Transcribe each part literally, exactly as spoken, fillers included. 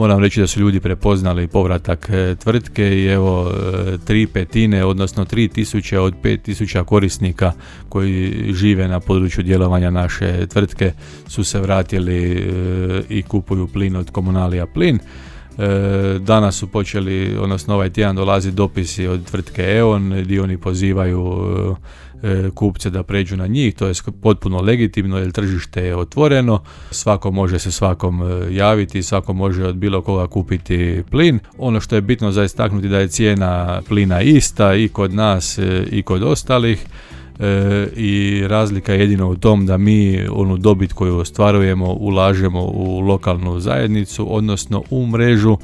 Moram reći da su ljudi prepoznali povratak tvrtke i evo tri petine, odnosno tri tisuće od pet tisuća korisnika koji žive na području djelovanja naše tvrtke su se vratili i kupuju plin od Komunalija plin. Danas su počeli, odnosno ovaj tjedan dolazi dopisi od tvrtke E O N gdje oni pozivaju kupce da pređu na njih, to je potpuno legitimno jer tržište je otvoreno, svako može se svakom javiti, svako može od bilo koga kupiti plin. Ono što je bitno za istaknuti da je cijena plina ista i kod nas i kod ostalih. E, i razlika je jedino u tom da mi onu dobit koju ostvarujemo ulažemo u lokalnu zajednicu, odnosno u mrežu.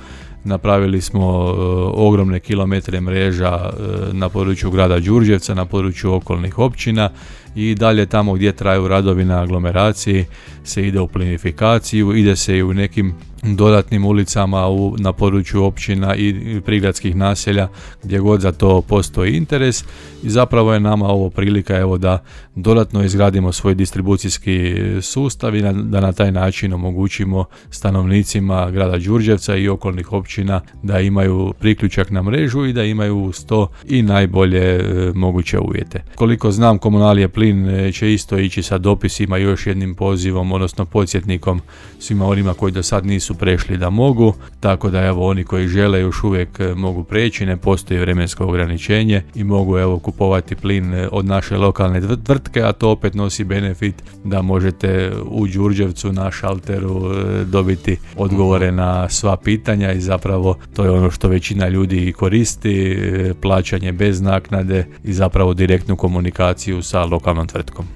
Napravili smo e, ogromne kilometre mreža e, na području grada Đurđevca, na području okolnih općina i dalje tamo gdje traju radovi na aglomeraciji se ide u plinifikaciju, ide se i u nekim dodatnim ulicama u, na području općina i prigradskih naselja gdje god za to postoji interes i zapravo je nama ovo prilika evo da dodatno izgradimo svoj distribucijski sustav i na, da na taj način omogućimo stanovnicima grada Đurđevca i okolnih općina da imaju priključak na mrežu i da imaju uz to i najbolje e, moguće uvjete. Koliko znam, Komunalije plin će isto ići sa dopisima još jednim pozivom, odnosno podsjetnikom svima onima koji do sad nisu prešli da mogu, tako da evo oni koji žele još uvijek mogu preći, ne postoji vremensko ograničenje i mogu evo kupovati plin od naše lokalne tvrtke, a to opet nosi benefit da možete u Đurđevcu na šalteru dobiti odgovore na sva pitanja i zapravo to je ono što većina ljudi koristi, plaćanje bez naknade i zapravo direktnu komunikaciju sa lokalnom tvrtkom.